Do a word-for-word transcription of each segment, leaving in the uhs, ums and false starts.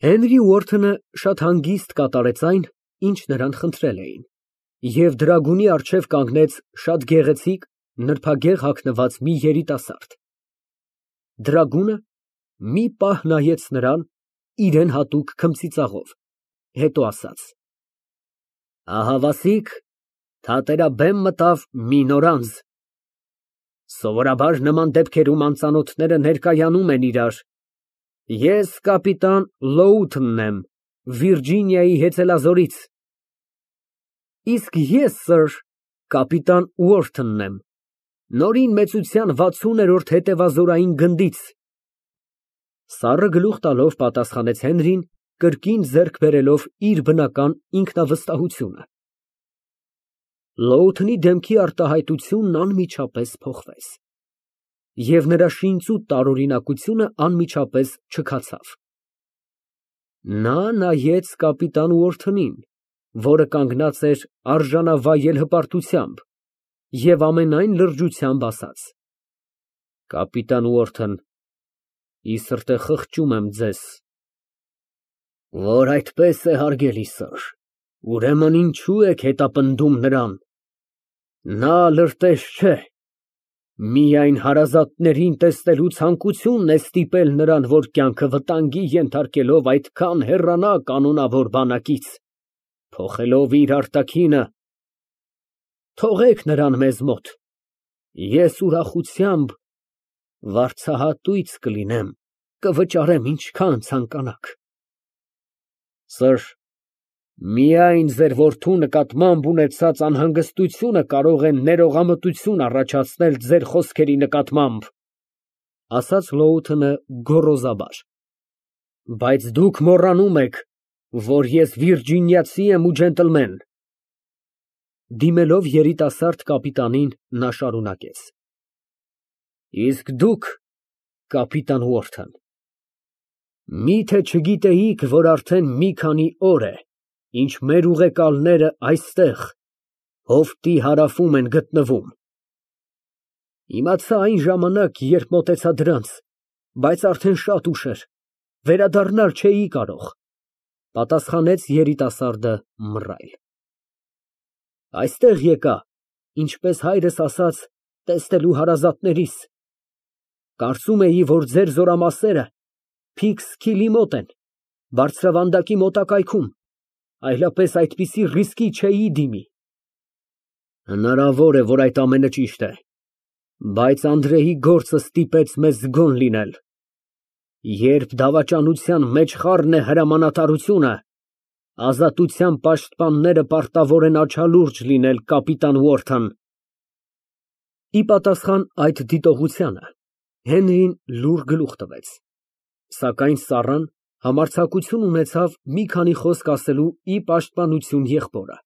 Հենրի Ուորթոնը շատ հանգիստ կատարեց այն, ինչ նրան խնդրել էին, և դրագունի առջև կանգնեց շատ գեղեցիկ, նրբագեղ հագնված մի երիտասարդ։ Դրագունը մի պահ նայեց նրան իրան հատուկ քմծիծաղով, հետո ասաց. Ահավասիկ, թատերաբեմ մտավ մի նոր անձ։ Սովորաբար նման դեպքերում անծանոթները ներկայանում են իրար։ Ես կապիտան Լոութընն եմ, Վիրջինիայի հեծելազորից։ Իսկ ես, սըր, կապիտան Ուորթոնն եմ, նորին մեծության վաթսուներորդ հետևազորային գնդից։ Սառը գլուխ տալով պատասխանեց Հենրին, կրկին ձեռք բերելով իր բնական ինքնավստահությունը։ Լոութընի դեմքի արտահայտությունն անմիջապես փոխվեց, և նրա շինծու տարօրինակությունը անմիջապես չքացավ։ Նա նայեց կապիտան Ուորթոնին, որը կանգնած էր արժանավայել հպարտությամբ, և ամենայն լրջությամբ ասաց. Կապիտան Ուորթոն, ի սրտե խղճում եմ ձեզ։ Որ այդպես է, հարգելի սըր, ուրեմն ինչո՞ւ եք հետապնդում նրան։ Նա լրտես չէ, միայն հարազատներին տեսնելու ցանկությունն է ստիպել նրան, որ կյանքը վտանգի ենթարկելով այդքան հեռանա կանոնավոր բանակից, փոխելով իր արտաքինը։ Թողեք նրան մեզ մոտ, ես ուրախությամբ վարձահատույց կլինեմ, կվճարեմ ինչքան ցանկանաք։ Սըր, միայն ձեր որդու նկատմամբ ունեցած անհանգստությունը կարող է ներողամտություն առաջացնել ձեր խոսքերի նկատմամբ, ասաց Լոութընը գոռոզաբար, բայց դուք մոռանում եք, որ ես վիրջինիացի եմ ու ջենտլմեն։ Դիմելով երիտասարդ կապիտանին, նա շարունակեց. Իսկ դուք, կապիտան Ուորթոն, մի՞թե չգիտեիք, որ արդեն մի քանի օր է, ինչ մեր ուղեկալները այստեղ, հովտի հարավում են գտնվում։ Իմացա այն ժամանակ, երբ մոտեցա դրանց, բայց արդեն շատ ուշ էր, վերադառնալ չէի կարող, պատասխանեց երիտասարդը մռայլ։ Այստեղ եկա, ինչպես հայրս ասաց, տեսնելու հարազատներիս։ Կարծում էի, որ ձեր զորամասերը Փիքսքիլի մոտ են, բարձրավանդակի մոտակայքում, այլապես այդպիսի ռիսկի չէի դիմի։ Հնարավոր է, որ այդ ամենը ճիշտ է, բայց Անդրեի գործը ստիպեց մեզ զգոն լինել։ Երբ դավաճանության մեջ խառն է հրամանատարությունը, ազատության պաշտպանները պարտավոր են աչալուրջ լինել, կապիտան Ուորթոն։ Ի պատասխան այդ դիտողությանը Հենրին լուռ գլուխ տվեց, սակայն Սառան համարձակություն ունեցավ մի քանի խոսք ասելու ի պաշտպանություն եղբորը։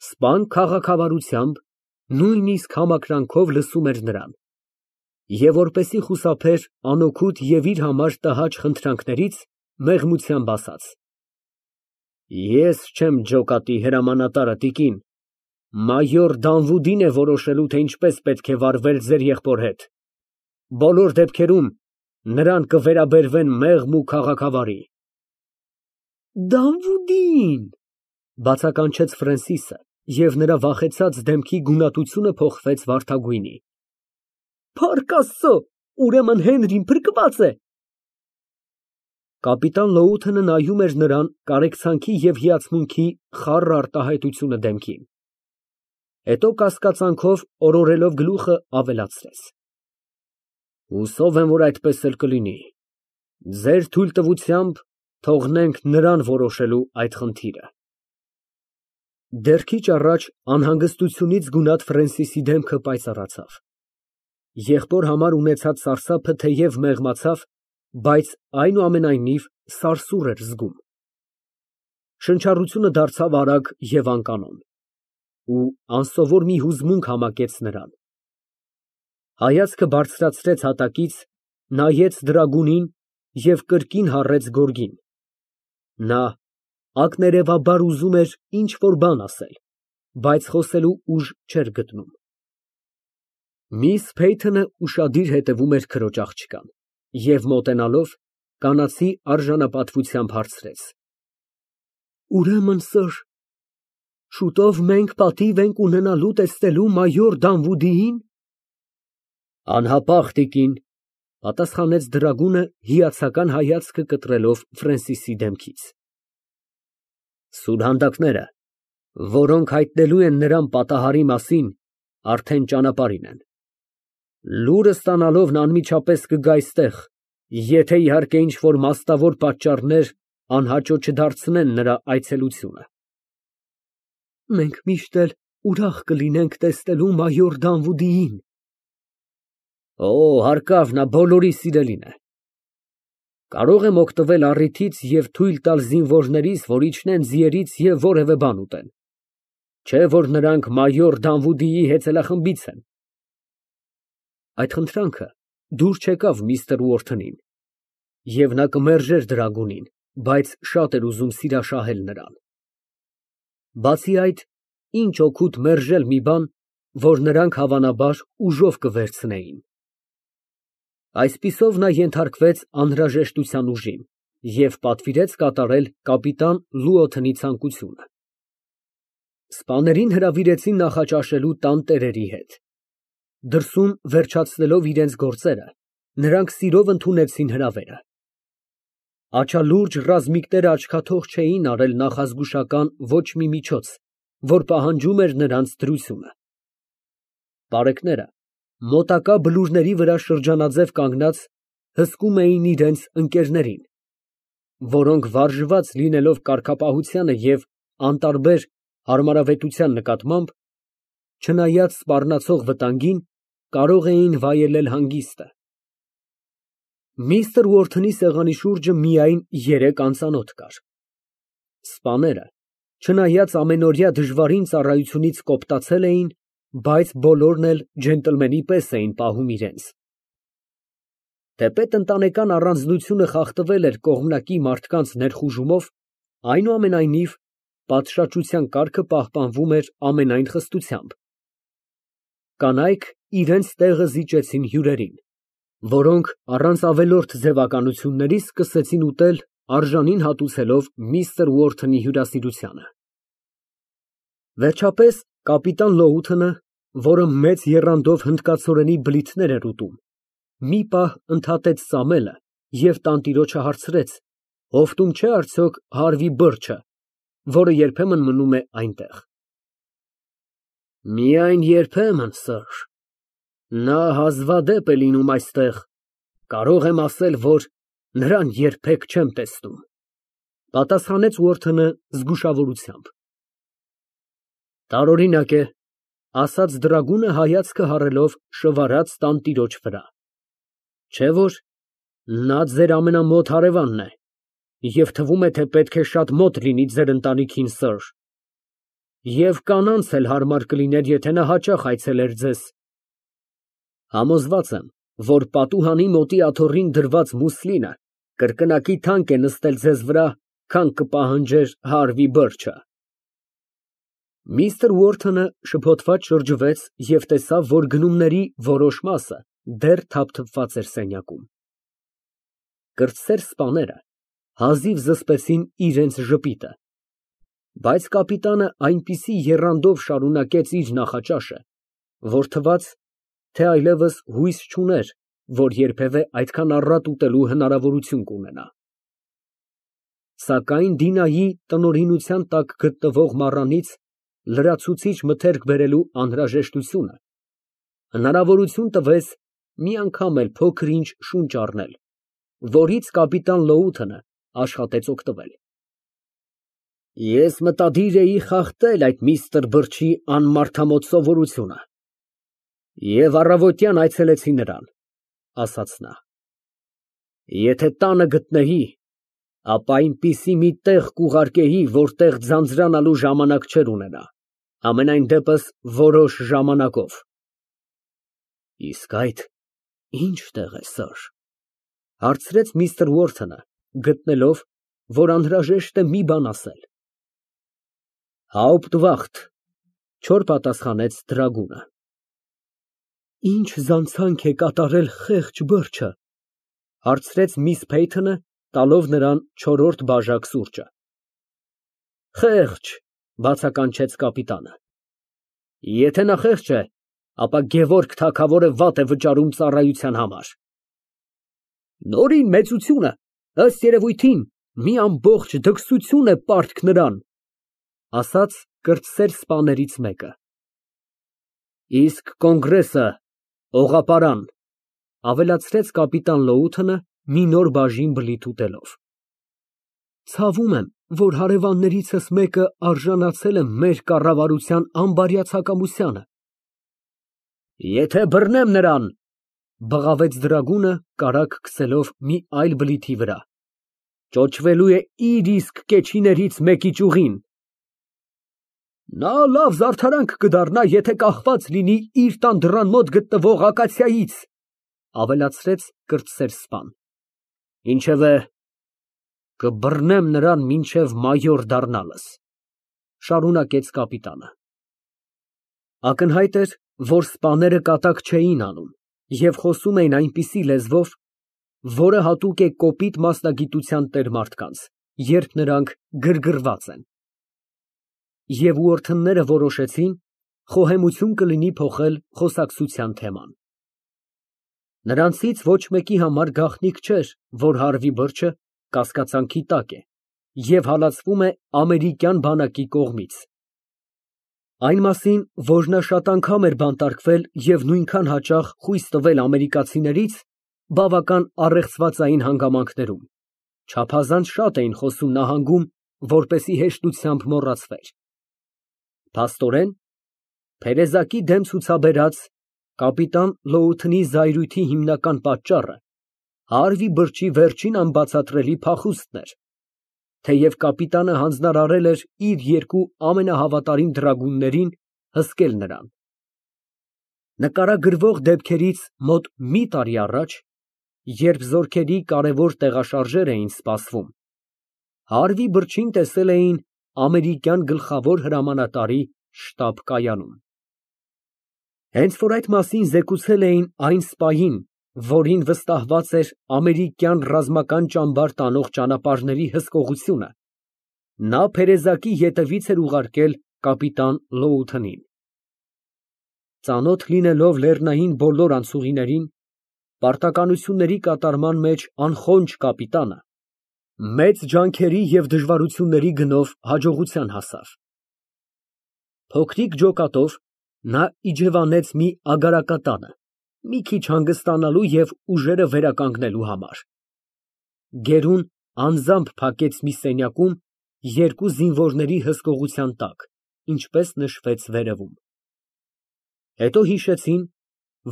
Սպան քաղաքավարությամբ, նույնիսկ համակրանքով լսում էր նրան, և որպեսզի խուսափեր անօգուտ և իր համար տհաճ խնդրանքներից, մեղմությամբ ասաց. Ես չեմ ջոկատի հրամանատարը, տիկին, մայոր Դանվուդին է որոշելու, թե ինչպես պետք է վարվել ձեր եղբոր հետ, բոլոր դեպքերում նրան կվերաբերվեն մեղմ ու քաղաքավարի։ Դանվուդին, բացականչեց Ֆրենսիսը, և նրա վախեցած դեմքի գունատությունը փոխվեց վարդագույնի։ Փառք Աստծո, ուրեմն Հենրին փրկված է։ Կապիտան Լոութընը նայում էր նրան կարեկցանքի և հիացմունքի խառը արտահայտությունը դեմքին, հետո կասկածանքով օրորելով գլուխը, ավելացրեց. Հուսով եմ, որ այդպես էլ կլինի։ Ձեր թույլտվությամբ թողնենք նրան որոշելու այդ խնդիրը։ Դեռ քիչ առաջ անհանգստությունից գունատ Ֆրենսիսի դեմքը պայծառացավ։ Եղբոր համար ունեցած սարսափը թեև մեղմացավ, բայց այնուամենայնիվ սարսուռ էր զգում։ Շնչառությունը դարձավ արագ և անկանոն, ու անսովոր մի հուզմունք համակեց նրան։ Հայացքը բարձրացրեց հատակից, նայեց դրագունին և կրկին հառեց գորգին։ Նա ակներևաբար ուզում էր ինչ֊որ բան ասել, բայց խոսելու ուժ չէր գտնում։ Միս Փեյթոնը ուշադիր հետևում էր քրոջ աղջկան և, մոտենալով, Կանացի արժանապատվությամբ հարցրեց։ Ուրեմն, սըր, շուտով մենք պատիվ ենք ունենալու տեսնելու մայոր Դանվուդիին։ Անհապաղ, տիկին, պատասխանեց դրագունը հիացական հայացքը կտրելով Ֆրենսիսի դեմքից։ Սուրհանդակները, որոնք հայտնելու են նրան պատահարի մասին, արդեն ճանապարհին են։ Լուրը ստանալով նա անմիջապես կգա այստեղ, եթե իհարկե ինչ֊որ մասնավոր պատճառներ անհաճո չդարձնեն նրա այցելությունը։ Մենք միշտ էլ ուրախ կլինենք տեսնելու մայոր Դանվուդիին։ Օ, հարկավ, նա բոլորի սիրելին է։ Կարող եմ օգտվել առիթից և թույլ տալ զինվորներիս, որ իջնեն ձիերից և որևէ բան ուտեն, չէ որ նրանք մայոր Դանվուդիի հեծելախմբից են։ Այդ խնդրանքը դուր չեկավ միստր Ուորթնին, և նա կմերժեր դրագունին, բայց շատ էր ուզում սիրաշահել նրան։ Բացի այդ, ինչ օգուտ մերժել մի բան, որ նրանք, հավանաբար, ուժով կվերցնեին։ Այսպիսով նա ենթարկվեց անհրաժեշտության ուժին և պատվիրեց կատարել կապիտան Լուոթնի ցանկությունը։ Սպաներին հրավիրեցին նախաճաշելու տան տերերի հետ։ Դրսում վերջացնելով իրենց գործերը, նրանք սիրով ընդունեցին հրավերը։ Աչալուրջ ռազմիկները աչքաթող չէին արել նախազգուշական ոչ մի միջոց, որ պահանջում էր նրանց դրությունը։ Պարեկները մոտակա բլուրների վրա շրջանաձև կանգնած հսկում էին իրենց ընկերներին, որոնք վարժված լինելով կարգապահությանը և անտարբեր հարմարավետության նկատմամբ, չնայած սպառնացող վտանգին, կարող էին վայելել հանգիստը։ Միստր Ուորթնի սեղանի շուրջը միայն երեք անծանոթ կար։ Սպաները, չնայած ամենօրյա դժվարին ծառայությունից կոպտացել էին, բայց բոլորն էլ ջենտլմենի պես էին պահում իրենց։ Թեպետ ընտանեկան առանձնությունը խախտվել էր կողմնակի մարդկանց ներխուժումով, այնուամենայնիվ, պատշաճության կարգը պահպանվում էր ամենայն խստությամբ։ Կանայք իրենց տեղը զիջեցին հյուրերին, որոնք առանց ավելորդ ձևականությունների սկսեցին ուտել, արժանին հատուցելով միստր Ուորթնի հյուրասիրությանը։ Վերջապես կապիտան Լոութոնը, որը մեծ եռանդով հնդկացորենի բլիթներ էր ուտում, մի պահ ընդհատեց ծամելը և տանտիրոջը հարցրեց, հովտում չէ արդյոք Հարվի Բըրչը, որը երբեմն մնում է այնտեղ։ Միայն երբեմն, սըր, նա հազվադեպ է լինում այստեղ, կարող եմ ասել, որ նրան երբեք չեմ տեսնում, պատասխանեց Ուորթնը զգուշավորությամբ։ Տարօրինակ է, ասաց դրագունը հայացքը հառելով շվարած տանտիրոջ վրա, չէ՞ որ նա ձեր ամենամոտ հարևանն է, և թվում է, թե պետք է շատ մոտ լինի ձեր ընտանիքին, սըր, և կանանց էլ հարմար կլիներ, եթե նա հաճախ այցելեր ձեզ։ Համոզված եմ, որ պատուհանի մոտի աթոռին դրված մուսլինը կրկնակի թանկ է նստել ձեզ վրա, քան կպահանջեր Հարվի Բըրչը։ Միստր Ուորթոնը շփոթված շրջվեց և տեսավ, որ գնումների որոշ մասը դեռ թափթփված էր սենյակում։ Կրտսեր սպաները հազիվ զսպեցին իրենց ժպիտը, բայց կապիտանը այնպիսի եռանդով շարունակեց իր նախաճաշը, որ թվաց, թե այլևս հույս չուներ, որ երբևէ այդքան առատ ուտելու հնարավորություն կունենա։ Սակայն Դինայի տնօրինության տակ գտնվող մառանից լրացուցիչ մթերք բերելու անհրաժեշտությունը հնարավորություն տվեց մի անգամ էլ փոքր֊ինչ շունչ առնել, որից կապիտան Լոութոնը աշխատեց օգտվել։ Ես մտադիր էի խախտել այդ միստր Բըրչի անմարդամոտ սովորությունը և առավոտյան այցելեցի նրան, ասաց նա։ Եթե տանը գտնեի, ապա այնպիսի մի տեղ կուղարկեի, որտեղ ձանձրանալու ժամանակ չէր ունենա, համենայն դեպս որոշ ժամանակով։ Իսկ այդ ի՞նչ տեղ է, սըր, հարցրեց միստր Ուորթոնը, գտնելով, որ անհրաժեշտ է մի բան ասել։ Հաուպտվախտ, չոր պատասխանեց դրագունը։ Ինչ զանցանք է կատարել խեղճ Բըրչը, Հարցրեց միս Փեյթոնը, տալով նրան չորրորդ բաժակ սուրճը։ Խեղճ, բացականչեց կապիտանը։ Եթե նա խեղճ է, ապա Գևորգ թագավորը վատ է վճարում ծառայության համար։ Նորին մեծությունը, ըստ երևույթին, մի ամբողջ դքսություն է պարտք նրան, ասաց կրտսեր սպաներից մեկը։ Իսկ կոնգրեսը օղապարան, ավելացրեց կապիտան Լոութոնը, մի նոր բաժին բլիթ ուտելով։ Ցավում եմ, որ հարևաններիցս մեկը արժանացել է մեր կառավարության անբարյացակամությանը։ Եթե բռնեմ նրան, բղավեց դրագունը, կարագ քսելով մի այլ բլիթի վրա, ճոճվելու է իր իսկ կեչիներից մեկի ճյուղին։ Նա լավ զարդարանք կդառնա, եթե կախված լինի իր տան դռան մոտ գտնվող ակացիայից, ավելացրեց կրտսեր սպան։ Ինչևէ, կբռնեմ նրան մինչև մայոր դառնալս, շարունակեց կապիտանը։ Ակնհայտ էր, որ սպաները կատակ չէին անում և խոսում էին այնպիսի լեզվով, որը հատուկ է կոպիտ մասնագիտության տեր մարդկանց, երբ նրանք գրգռված են։ Եվ ուորթնները որոշեցին խոհեմություն կլինի փոխել խոսակցության թեման։ Նրանցից ոչ մեկի համար գաղտնիք չէր, որ հարվի բրջը կասկածանքի տակ է և հալածվում է ամերիկյան բանակի կողմից։ Այն մասին, որ նա շատ անգամ էր բանտարկվել և նույնքան հաճախ խույս տվել ամերիկացիներից, բավական առեղծվածային հանգամանքներում, չափազանց շատ էին խոսում նահանգում, որպեսզի հեշտությամբ մոռացվեր։ Փաստորեն, Փերեզակի դեմ ցուցաբերած կապիտան Լոութոնի զայրույթի հիմնական պատճառը հարվի բրջի վերջին անբացատրելի փախուստն էր, թեև կապիտանը հանձնարարել էր իր երկու ամենահավատարիմ դրագուններին հսկել նրան։ Նկարագրվող դեպքերից մոտ մի տարի առաջ, երբ զորքերի կարևոր տեղաշարժեր էին սպասվում, հարվի բրջին տեսել էին ամերիկյան գլխավոր հրամանատարի շտաբ֊կայանում։ Հենց որ այդ մասին զեկուցել էին այն սպային, որին վստահված էր ամերիկյան ռազմական ճամբար տանող ճանապարհների հսկողությունը, նա Փերեզակի ետևից էր ուղարկել կապիտան Լոութոնին։ Ծանոթ լինելով լեռնային բոլոր անցուղիներին, պարտականությունների կատարման մեջ անխոնջ կապիտանը մեծ ջանքերի և դժվարությունների գնով հաջողության հասավ։ Փոքրիկ ջոկատով նա իջևանեց մի ագարակատանը, մի քիչ հանգստանալու և ուժերը վերականգնելու համար։ Գերուն անձամբ փակեց մի սենյակում երկու զինվորների հսկողության տակ, ինչպես նշվեց վերևում։ Հետո հիշեցին,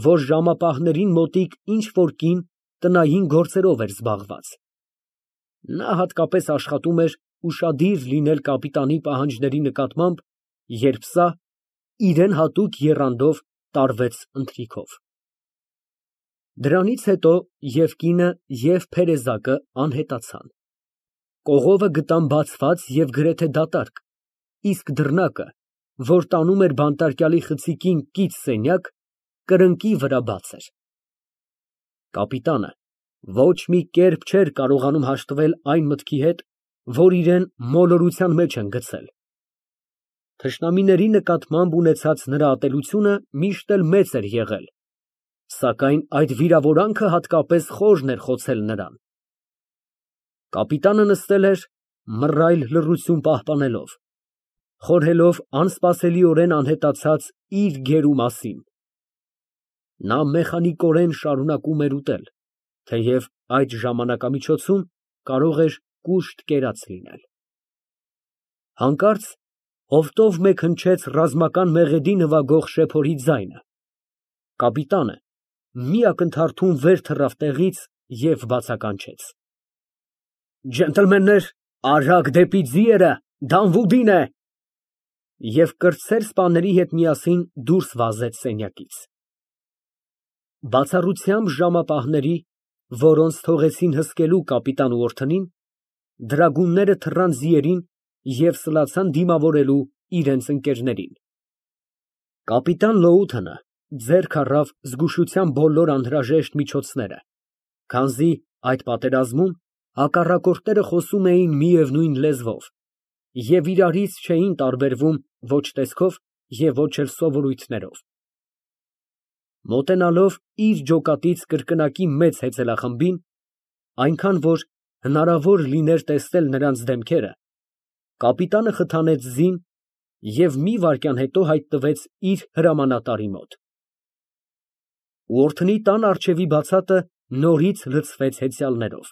որ ժամապահներին մոտիկ ինչ֊որ կին տնային գործերով էր զբաղված։ Նա հատկապես աշխատում էր ուշադիր լինել կապիտանի պահանջների նկատմամբ, երբ սա իրան հատուկ եռանդով տարվեց ընթրիքով։ Դրանից հետո և կինը, և Փերեզակը անհետացան։ Կողովը գտան բացված և գրեթե դատարկ, իսկ դռնակը, որ տանում էր բանտարկյալի խցիկին կից սենյակ, կրկնակի վրա բաց էր։ Կապիտանը ոչ մի կերպ չէր կարողանում հաշտվել այն մտքի հետ, որ իրան մոլորության մեջ են գցել։ Թշնամիների նկատմամբ ունեցած նրա ատելությունը միշտ էլ մեծ էր եղել, սակայն այդ վիրավորանքը հատկապես խորն էր խոցել նրան։ Կապիտանը նստել էր մռայլ լռություն պահպանելով, խորհելով անսպասելիորեն անհետացած իր գերու մասին։ Նա մեխանիկորեն շարունակում էր ուտել, թեև այդ ժամանակամիջոցում կարող էր կուշտ կերած լինել։ Հանկարծ հովտով մեկ հնչեց ռազմական մեղեդի նվագող շեփորի ձայնը։ Կապիտանը մի ակնթարթում վեր թռավ տեղից և բացականչեց. Ջենտլմեններ, արագ դեպի ձիերը, Դանվուդին է… և կրտսեր սպաների հետ միասին դուրս վազեց սենյակից։ Բացառությամբ ժամապահների, որոնց թողեցին հսկելու կապիտան Ուորթնին, դրագունները թռան ձիերին և սլացան դիմավորելու իրենց ընկերներին։ Կապիտան Լոութոնը ձեռք առավ զգուշության բոլոր անհրաժեշտ միջոցները, քանզի Այդ պատերազմում հակառակորդները խոսում էին միևնույն լեզվով և իրարից չէին տարբերվում ոչ տեսքով և ոչ էլ սովորույթներով։ Մոտենալով իր ջոկատից կրկնակի մեծ հեծելախմբին, այնքան, որ հնարավոր լիներ տեսնել նրանց դեմքերը, կապիտանը խթանեց ձին և մի վայրկյան հետո հայտնվեց իր հրամանատարի մոտ։ Ուորթնի տան առջևի բացատը նորից լցվեց հեծյալներով։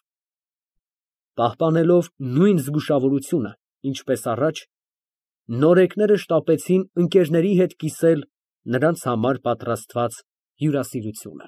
Պահպանելով նույն զգուշավորությունը, ինչպես առաջ, նորեկները շտապեցին ընկերների հետ կիսել նրանց համար պատրաստված հյուրասիրությունը։